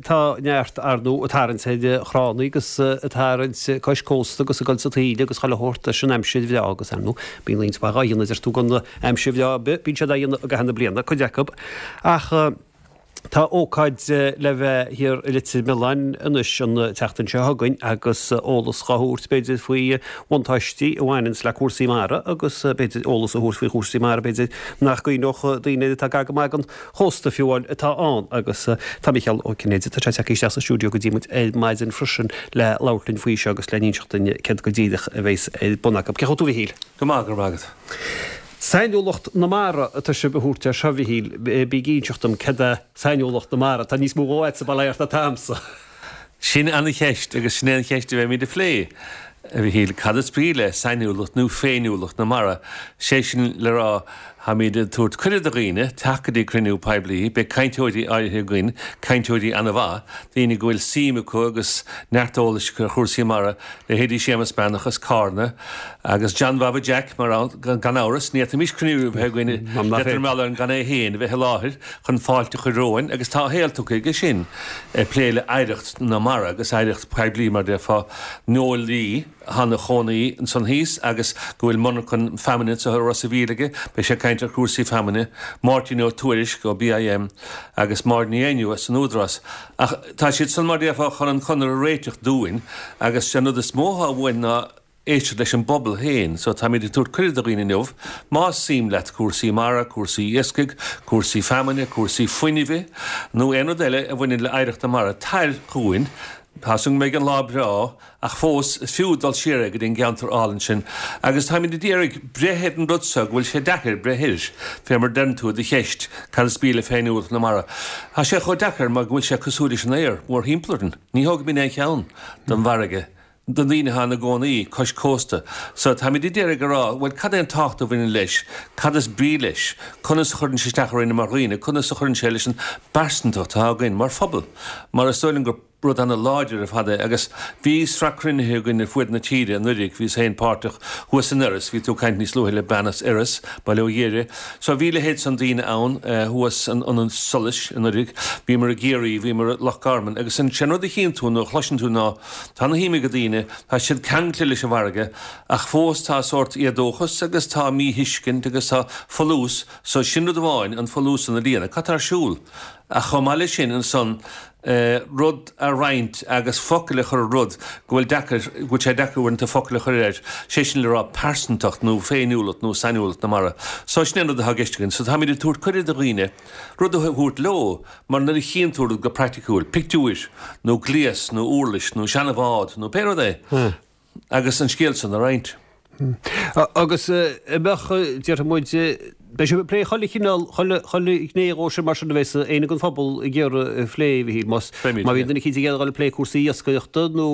tá neart, ar ndóigh, ag tarraingt ar thránna agus ag tarraingt cois cósta agus ag dul sa taoille agus chuile shórt leis an aimsir bhreá agus, ar ndóigh, bíonn roinnt mhaith dhá dhéanamh, deir tú, gan aimsir bhreá ar bith, bíonn siad á dhéanamh i gcaitheamh na bliana, cuid acu. Ach tá ócáid le bheith thiar i Leitir Mealláin anois an tseachtain seo chugainn agus eolas dhá thabhairt, b'fhéidir, faoi bhuntáistí a bhaineanns le cúrsaí mara agus b'fhéidir eolas a thabhairt faoi chúrsaí mara, b'fhéidir, nach gcuimhneodh daoine atá gar go maith don chósta fiú amháin atá ann agus tá Micheál Ó Cinnéide, tá sé tagtha isteach sa stiúideo go dtí muid ar maidin freisin le labhairt linn faoi seo agus le n-inseacht duinn céard go díreach a bheas ar bun acu. Cén chaoi a bhfuil tú a Mhichíl? Go maith, go raibh maith agat. Sainiúlacht na Mara atá sibh a thabhairt air seo, a Mhichíl. Bí ag inseacht dom céard é sainiúlacht na mara? Tá níos mó dhó agatsa bail ó Dhia ort ná atá a'msa. Sin an-cheist agus sin é an cheist a bheimid a phlé, a Mhichíl. Cad is brí le sainiúlacht nó féiniúlacht na mara? Sé sin le rá, táimid ag tabhairt cuireadh do dhaoine teacht go dtí cruinniú poiblí. Beidh cainteoirí áirithe againn, cainteoirí an-mhaith, daoine go bhfuil suim acu agus neart eolais acu ar chúrsaí mara, leithéidí Séamus Breathnach as Cárna agus John Bhaba Jack, mar gan amhras, ní fhéadfaimis cruinniú a bheith againn i Leitir Mealláin gan é féin a bheith i láthair chun fáilte a chur romhainn agus tá a shaol tugtha aige sin ag plé le hoidhreacht na mara agus oidhreacht poiblí mar déarfá, Noel Lee atá ina chónaí ansan thíos agus go bhfuil monarchan feamainne anso i Ros a' Mhíl aige, beidh sé ag caint ar chúrsaí feamainne, Máirtín Ó Tuairisg ó BIM agus Máire Ní Éinniú as an Údarás. Ach tá siad san mar déarfá chun an conair a réiteach dúinn agus sé an rud is mó atá uainn ná éisteacht leis an bpobal féin. So táimid ag tabhairt cuireadh do dhaoine inniu, más suim leat cúrsaí mara, cúrsaí iascaigh, cúrsaí feamainne, cúrsaí fuinnimhe nó aon rud eile a bhaineann le oidhreacht na mara, tar chugainn. Tá 's agam go mbeidh an lá breá ach fós is fiú dul siar go dtí an gceantar álainn sin agus táimid ag iarraidh breith ar an rud seo go bhfuil sé deacair breith air, fé mar deireann tú i do cheist, cad is brí le féiniúlacht na mara? Tá sé chomh deacair mar go bhfuil sé cosúil leis an aer mórthimpeall orainn. Ní thógaimid aon cheann den bhfarraige, de dhaoine atá ina gcónaí cois cósta. So táimid ag iarraidh a rá, bhuel cad é an tábhacht a bhaineann leis, cad is brí leis, conas a chuireann sé isteach orainn mar dhaoine, conas a chuireann sé leis an bpearsantacht atá againn mar phobal, mar is dóigh liom gur. rud ana-láidir ar fad é agus bhí sraith cruinnithe againn ar fuaid na tíre anuraidh, bhíos féin páirteach thuas in Iorras, bhí tú ag caint níos luaithe le bean as Iorras, Baile Ó Ghiorria, so bhí leithéid san daoine ann thuas in Ionad Solais anuraidh, bhíomar i gCiarraí, bhíomar i Loch Garman agus sé an rud a chíonn tú nó a chloiseann tú ná tá ana-shuim ag daoine, tá siad ceangailte leis an bhfarraige ach fós tá sórt éadóchas agus tá míthuiscint agus tá folús, so sin rud amháin, an folús san a líonadh, cad tá ar siúl? Ach chomh maith leis sin ansan, rud a roinnt agus focail a chur ar rud go bhfuil deacair, go bhfuil sé deacair uaireanta focail a chur air, sé sin le rá pearsantacht nó féiniúlacht nó sainiúlacht na mara. So sin é an rud atá i gceist againn. So táimid ag tabhairt cuireadh do dhaoine rud a thabhairt leo mar nuair a chíonn tú rud go praiticiúil, pictiúir nó gléas nó uirlis nó seana-bhád nó pé rud é, agus an scéal san a roinnt. Agus an mbeadh, déarfaidh muid, beidh sibh ag plé chuile chineál, chuile, chuile ghné dhó sin mar sin a bheas éinne den phobal ag iarraidh a phlé, a Mhichíl, más, má bhíonn duine eicínt ag iarraidh a dhul ag plé cúrsaí iascaireachta nó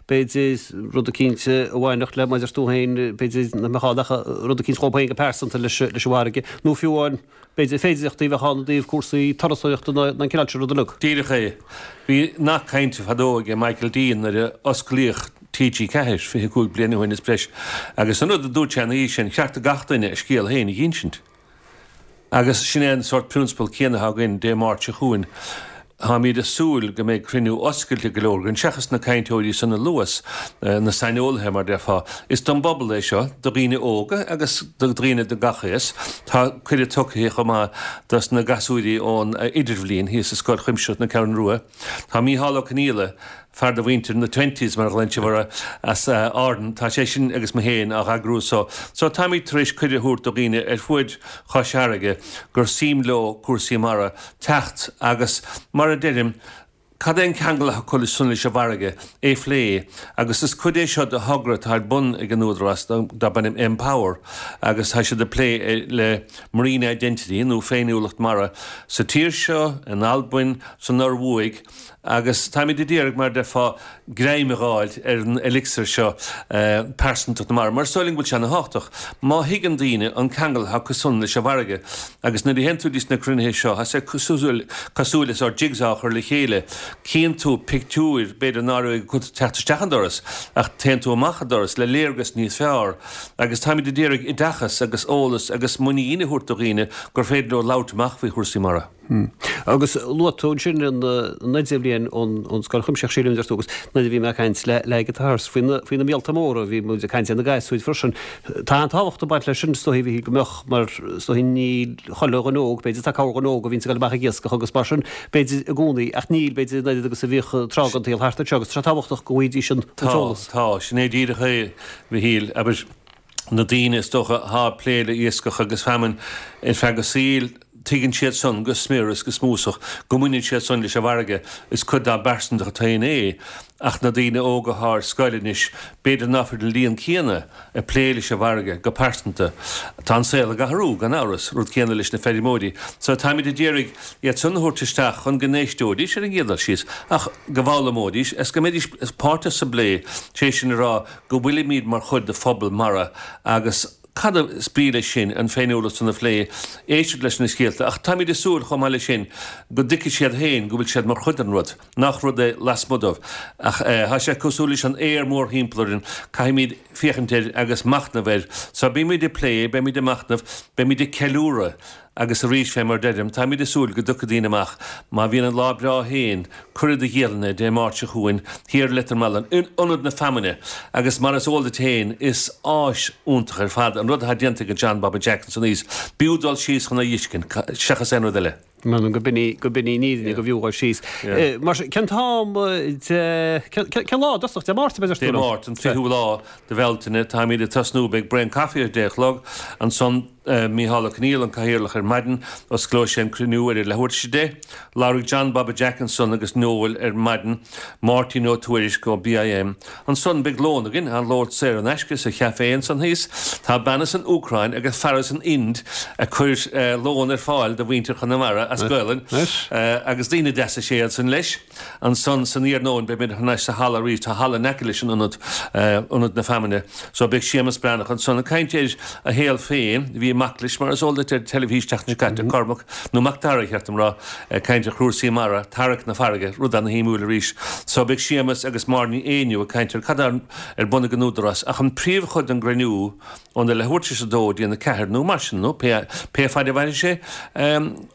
b'fhéidir rud eicínt a bhainfeadh le, mar a deir tú féin, b'fhéidir nach mbeadh ann ach rud eicínt dhóibh féin go pearsanta leis, leis an bhfarraige nó fiú amháin b'fhéidir féidireachtaí a bheadh ann i dtaobh cúrsaí turasóireachta nó an cineál sin rud uilig. Díreach é. Bhí nath cainte fadó aige Michael D nuair a osclaíodh TG4, 25 bliain ó shin is breis, agus an rud a dúirt sé ina dhiaidh sin, cheart do gach duine a scéal féin a dh'insint. Agus sin é an sórt prionsabal céanna atá againn Dé Máirt seo chugainn. Táimid ag súil go mbeidh cruinniú oscailte go leor againn, seachas na cainteoirí san a luas, na saineolaithe mar déarfá. Is don bpobal é seo, do dhaoine óga agus do dhaoine de gach aos. Tá cuireadh tugtha chomh maith dos na gasúirí ón Idirbhliain thíos i Scoil Chuimsitheach na Ceathrún Rua. Tá Mícheál Ó Conghaile, fear de mhuintir na twenties mar a ghlaonn sibh orthu, as Árainn, tá sé sin agus mé féin á eagrú so. So táimid tar éis cuireadh a thabhairt do dhaoine ar fuaid Chois Fharraige gur suim leo cúrsaí mara teacht agus mar a deirim, cad é an ceangal atá acu san leis an bhfarraige, é a phlé agus is cuid é seo de thogra atá ar bun ag an Údarás darb ainm Empower agus tá siad ag plé le Marine Identity nó féiniúlacht mara sa tír seo, in Albain, san Ioruaidh Agus táimid ag iarraidh, mar a déarfá, greim a dh'fháil ar an elixir seo, pearsantacht na mara, mar is dóigh linn go bhfuil sé ana-thábhachtach. Má thuigeann daoine an ceangal atá acu san leis an bhfarraige, agus nuair a théann tú dtí sna cruinnithe seo, tá sé cosúil, cosúil le sórt jigsaw a chur le chéile, cíonn tú pictiúir, b'fhéidir ná raibh ag teacht isteach an doras, ach téann tú amach an doras le léargas níos fearr. Agus táimid ag iarraidh oideachas agus eolas agus muinín a thabhairt do dhaoine gur féidir leo labhairt amach faoi chúrsaí mara. Agus luaigh tú ansin an idirbhliain ón Scoil Chuimsitheach, sílim, deir tú, agus nuair a bhí mé ag caint le le Guitars faoi na faoi na míolta móra, bhí muid ag caint ar na gasúir freisin. Tá an-tábhacht ag baint leis sin, is dóichí, a Mhichíl, go mbeadh, mar is dóichí níl chuile dhuine óg, b'fhéidir, tá corrdhuine óg a bhíonns ag dul amach ag iascach agus mar sin, b'fhéidir, i gcónaí, ach níl, b'fhéidir, an oiread agus a bhíodh tráth den tsaol thart anseo agus tá sé tábhachtach go bhfaighidís an Tá, t-eolas. tá, sin é díreach é, a Mhichíl, abair, na daoine is dócha athá ag plé le iascach agus feamainn ar feadh a saoil, tuigeann siad san go smior is go smúsach go mbaineann siad san leis an bhfarraige, is cuid dá bpearsantacht féin é, ach na daoine óga athá ar scoil anois, b'fhéidir ná fuil an líon céanna ag plé leis an bhfarraige go pearsanta. Tá an saol ag athrú, gan amhras, rud céanna leis na feirmeoirí. So táimid ag iarraidh iad san a thabhairt isteach chun go n-éisteoidís ar an gcéad dul síos, ach go bhfoghlaimeoidís is go mbeidís páirteach sa bplé, sé sin a rá, go bhfuilimid mar chuid de phobal mara agus cad is brí leis sin, an féiniúlacht san a phlé, éisteacht leis na scéalta ach táimid ag súil chomh maith leis sin go dtuigfidh siad féin go bhfuil siad mar chuid den rud, nach rud é lasmuigh dóibh. Ach tá sé cosúil leis an aer mórthimpeall orainn, caithfimid féachaint air agus machnamh air. So beimid ag plé, beimid ag machnamh, beimid ag ceiliúradh. Agus arís, fé mar deirim, táimid ag súil go dtiocfaidh daoine amach, má bhíonn an lá breá féin, cuireadh do dhialanna, Dé Máirt seo chugainn, thiar i Leitir Mealláin, in Ionad na Feamainne, agus mar is eol duit féin, is áis iontach ar fad an rud atá déanta ag John Bhobby Jack ansan thíos. B'fhiú dul síos chun é a fheiscint, seachas aon rud eile. M'anam go b'in í, go b'in í an fhírinne, go bhfiú dhul síos. Mar sin, cén t-am de, cén lá i dtosach, Dé Máirt, a deir tú Dé liom? Máirt, an 30ú lá de Bhealtaine, táimid ag tosnú, beidh braon caife ar 10 a chlog, ansan, Mícheál Ó Conghaile, an Cathaoirleach ar maidin, osclóidh sé an cruinniú ar a leathuair tar éis 10. Labharfaidh John Bhobby Jack ansan agus Noel ar maidin, Máirtín Ó Tuairisg ó BIM. Ansan beidh lón againn, an lón saor in aisce sa chaifé ansan thíos. Tá bean as an Úcráin agus fear as an Ind ag cur lón ar fáil do mhuintir Chonamara as Gaolainn agus daoine deasa is ea iad san leis. Ansan san iarnóin beimid thar n-ais sa halla arís, tá halla in aice leis an ionad, Ionad na Feamainne, so beidh Séamus Breathnach ansan ag caint ar a shaol féin, bhí mac leis mar is eol duit ar teilifís tseachtain seo caite, Cormac, nó Mac Dara ba cheart dom rá, ag caint ar chúrsaí mara, tarrac na farraige, rud ana-shuimiúil arís. So beidh Séamus agus Máire Ní Éinniú ag caint ar cad tá ar bun ag an Údarás ach an príomhchuid den gcruinniú óna leathuair tar éis a dó go dtí an 4 nó mar sin nó pé pé faid a mhairfidh sé.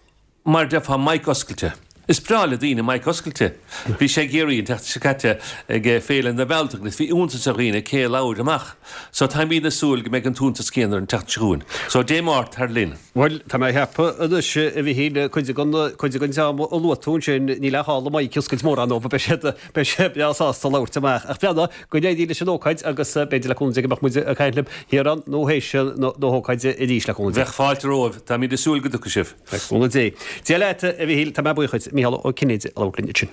Mar a déarfá, mic oscailte. Is breá le daoine mic oscailte. Bhí sé i gCiarraí an tseachtain seo caite ag Féile na Bealtaine agus bhí iontas ar dhaoine cé a labhair amach. So táimid ag súil go mbeidh an t-iontas céanna ar an tseachtain seo chugainn. So Dé Máirt tar linn. Bhuel, tá mé ag ceapadh anois, a Mhichíl, cuid den, cuid den dream a luaigh tú ansin, níl aon chall an mic a oscailt mórán dóibh, beidh siad, beidh siad breá sásta labhairt amach. Ach bheannaigh, go n-éirí leis an ócáid agus b'fhéidir le cúnamh Dé go mbeadh muid ag caint libh thiar ann nó théis na hócáide arís le cúnamh Dé. Bheadh fáilte romhaibh. Táimid ag súil go dtiocfaidh sibh. Le cúnamh Dé. Dia leat, a Mhichíl, tá mé buíoch duit. Mícheál Ó Cinnéide a labhairt linn ansin.